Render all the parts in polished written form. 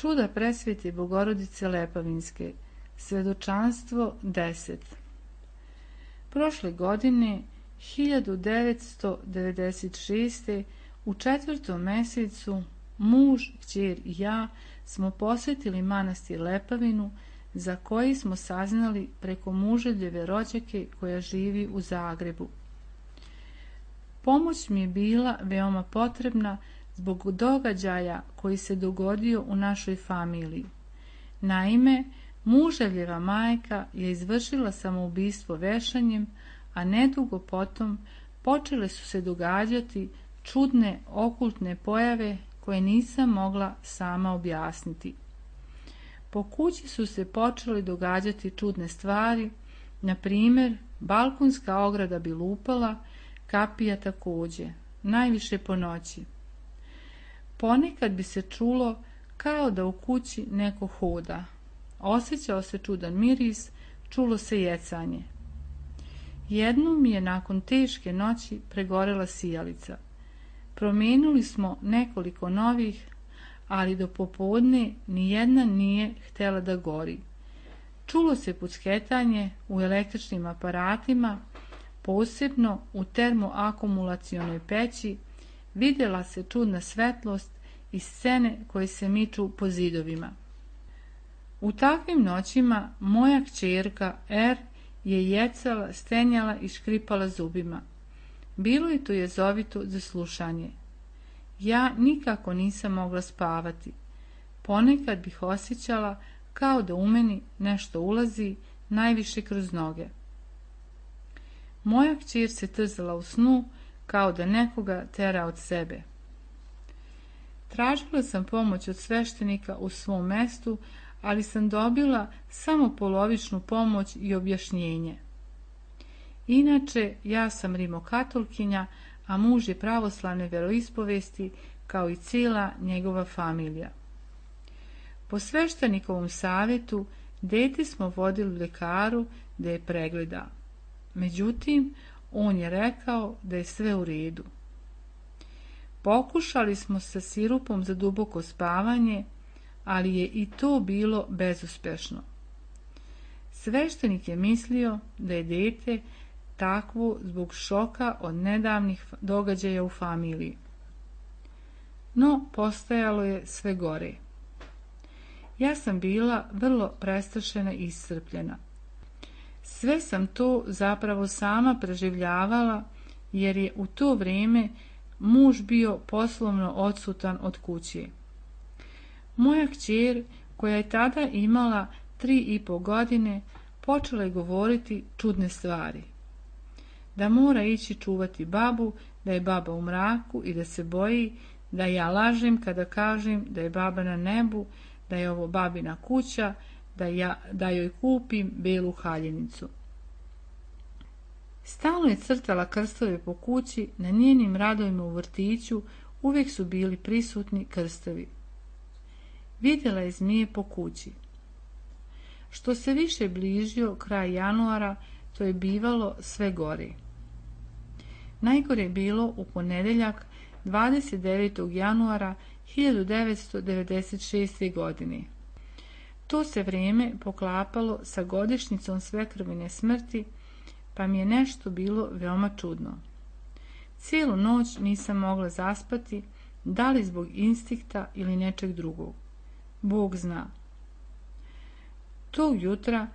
Čuda presvete Bogorodice Lepavinske. Svedočanstvo 10. Prošle godine, 1996. u 4. mesecu, muž, kćer i ja smo posjetili manastir Lepavinu, za koji smo saznali preko muževljeve rođake koja živi u Zagrebu. Pomoć mi je bila veoma potrebna zbog događaja koji se dogodio u našoj familiji. Naime, muževljeva majka je izvršila samoubistvo vešanjem, a nedugo potom počele su se događati čudne okultne pojave koje nisam mogla sama objasniti. Po kući su se počele događati čudne stvari, na primjer, balkonska ograda bi lupala, kapija također, najviše po noći. Ponekad bi se čulo kao da u kući neko hoda. Osjećao se čudan miris, čulo se jecanje. Jednom mi je nakon teške noći pregorela sijalica. Promijenili smo nekoliko novih, ali do popodne nijedna nije htjela da gori. Čulo se pucketanje u električnim aparatima, posebno u termoakumulacionoj peći, vidjela se čudna svetlost i scene koje se miču po zidovima. U takvim noćima moja kćerka R je jecala, stenjala i škripala zubima. Bilo je to jezovito za slušanje. Ja nikako nisam mogla spavati. Ponekad bih osjećala kao da u meni nešto ulazi, najviše kroz noge. Moja kćer se trzala u snu kao da nekoga tera od sebe. Tražila sam pomoć od sveštenika u svom mestu, ali sam dobila samo polovičnu pomoć i objašnjenje. Inače, ja sam rimokatolkinja, a muž je pravoslavne veroispovesti, kao i cijela njegova familija. Po sveštenikovom savjetu, dete smo vodili lekaru da je pregleda. Međutim, on je rekao da je sve u redu. Pokušali smo sa sirupom za duboko spavanje, ali je i to bilo bezuspešno. Sveštenik je mislio da je dete takvo zbog šoka od nedavnih događaja u familiji. No, postajalo je sve gore. Ja sam bila vrlo prestrašena i iscrpljena. Sve sam to zapravo sama preživljavala, jer je u to vrijeme muž bio poslovno odsutan od kuće. Moja kćer, koja je tada imala 3,5 godine, počela je govoriti čudne stvari. Da mora ići čuvati babu, da je baba u mraku i da se boji, da ja lažem kada kažem da je baba na nebu, da je ovo babina kuća, da joj kupim belu haljinicu. Stalno je crtala krstove po kući, na njenim radovima u vrtiću uvijek su bili prisutni krstovi. Vidjela je zmije po kući. Što se više bližio kraj januara, to je bivalo sve gore. Najgore je bilo u ponedjeljak 29. januara 1996. godine. To se vrijeme poklapalo sa godišnjicom svekrvine smrti, pa mi je nešto bilo veoma čudno. Cijelu noć nisam mogla zaspati, da li zbog instinkta ili nečeg drugog. Bog zna. Tog jutra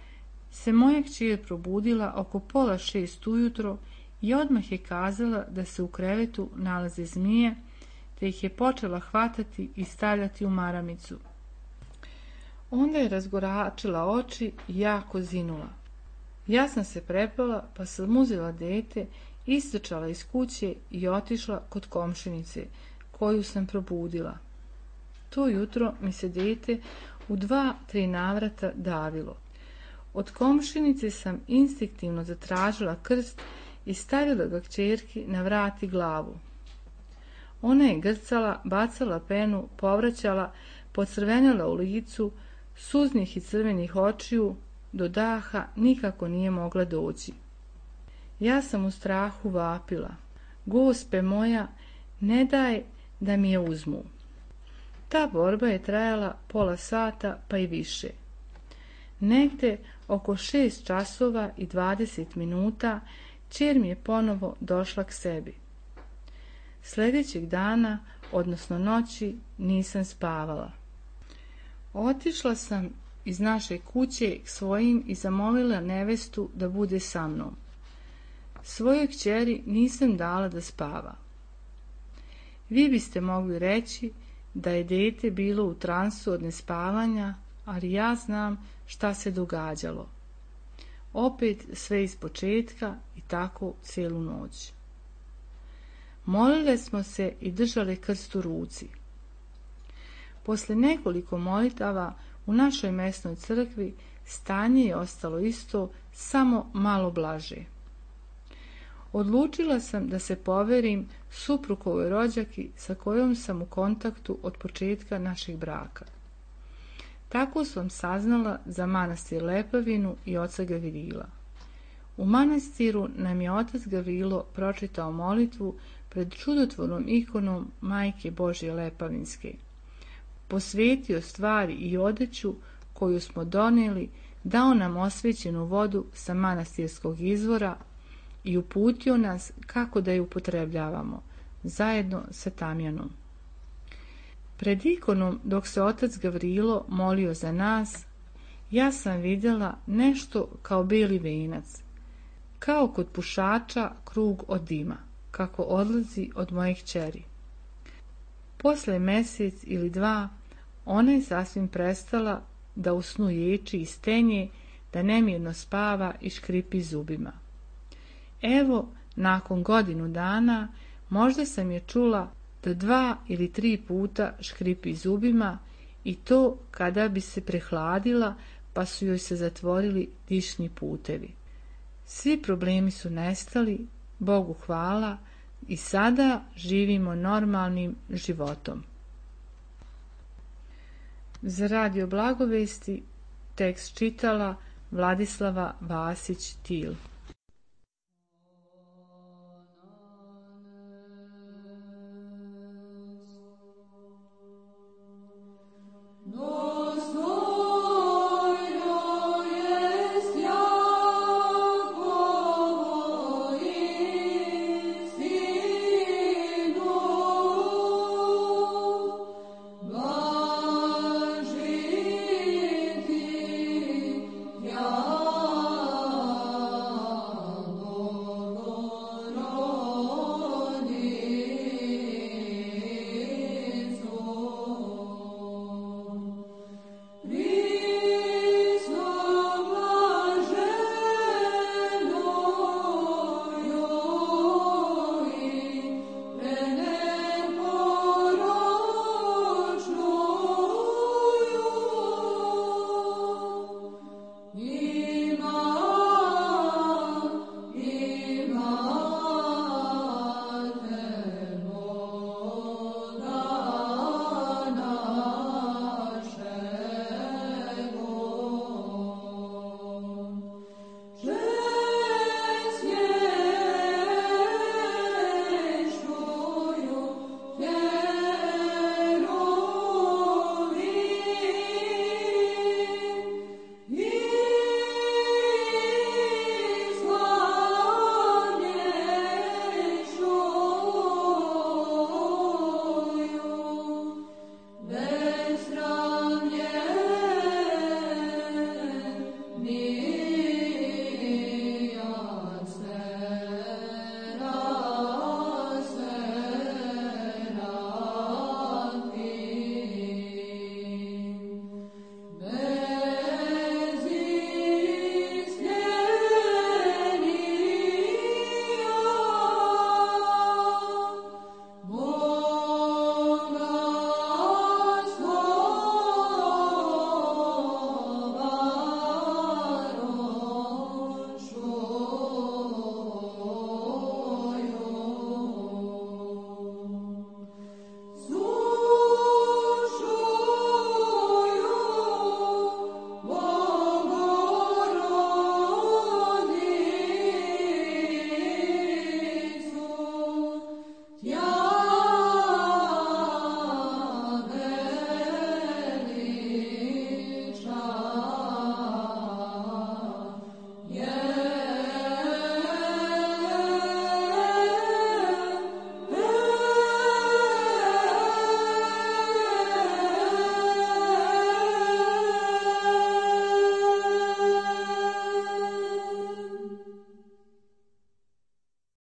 se moja kćer probudila oko 5:30 ujutro i odmah je kazala da se u krevetu nalaze zmije, te ih je počela hvatati i stavljati u maramicu. Onda je razgoračila oči i jako zinula. Ja sam se prepala, pa sam uzela dete, istrčala iz kuće i otišla kod komšinice, koju sam probudila. To jutro mi se dete u 2-3 navrata davilo. Od komšinice sam instinktivno zatražila krst i stavila ga kćerki na vrat i glavu. Ona je grcala, bacala penu, povraćala, pocrvenela u licu, suznih i crvenih očiju, do daha nikako nije mogla doći. Ja sam u strahu vapila. Gospe moja, ne daj da mi je uzmu. Ta borba je trajala pola sata pa i više. Negde oko 6 časova i 20 minuta kćer mi je ponovo došla k sebi. Sljedećeg dana, odnosno noći, nisam spavala. Otišla sam iz naše kuće k svojim i zamolila nevestu da bude sa mnom. Svojoj kćeri nisam dala da spava. Vi biste mogli reći da je dete bilo u transu od nespavanja, ali ja znam šta se događalo. Opet sve ispočetka i tako cijelu noć. Molile smo se i držale krst u ruci. Posle nekoliko molitava u našoj mesnoj crkvi stanje je ostalo isto, samo malo blaže. Odlučila sam da se poverim suprugovoj rođaki sa kojom sam u kontaktu od početka našeg braka. Tako sam saznala za manastir Lepavinu i oca Gavrila. U manastiru nam je otac Gavrilo pročitao molitvu pred čudotvornom ikonom Majke Božje Lepavinske. Posvetio stvari i odeću koju smo donijeli, dao nam osvećenu vodu sa manastirskog izvora i uputio nas kako da je upotrebljavamo, zajedno sa tamjanom. Pred ikonom, dok se otac Gavrilo molio za nas, ja sam vidjela nešto kao beli venac, kao kod pušača krug od dima, kako odlazi od moje kćeri. Posle mjesec ili dva, ona je sasvim prestala da u snu ječi i stenje, da nemirno spava i škripi zubima. Evo, nakon godinu dana, možda sam je čula da 2 ili 3 puta škripi zubima, i to kada bi se prehladila pa su joj se zatvorili dišni putevi. Svi problemi su nestali, Bogu hvala, i sada živimo normalnim životom. Za Radio Blagovesti tekst čitala Vladislava Vasić-Til.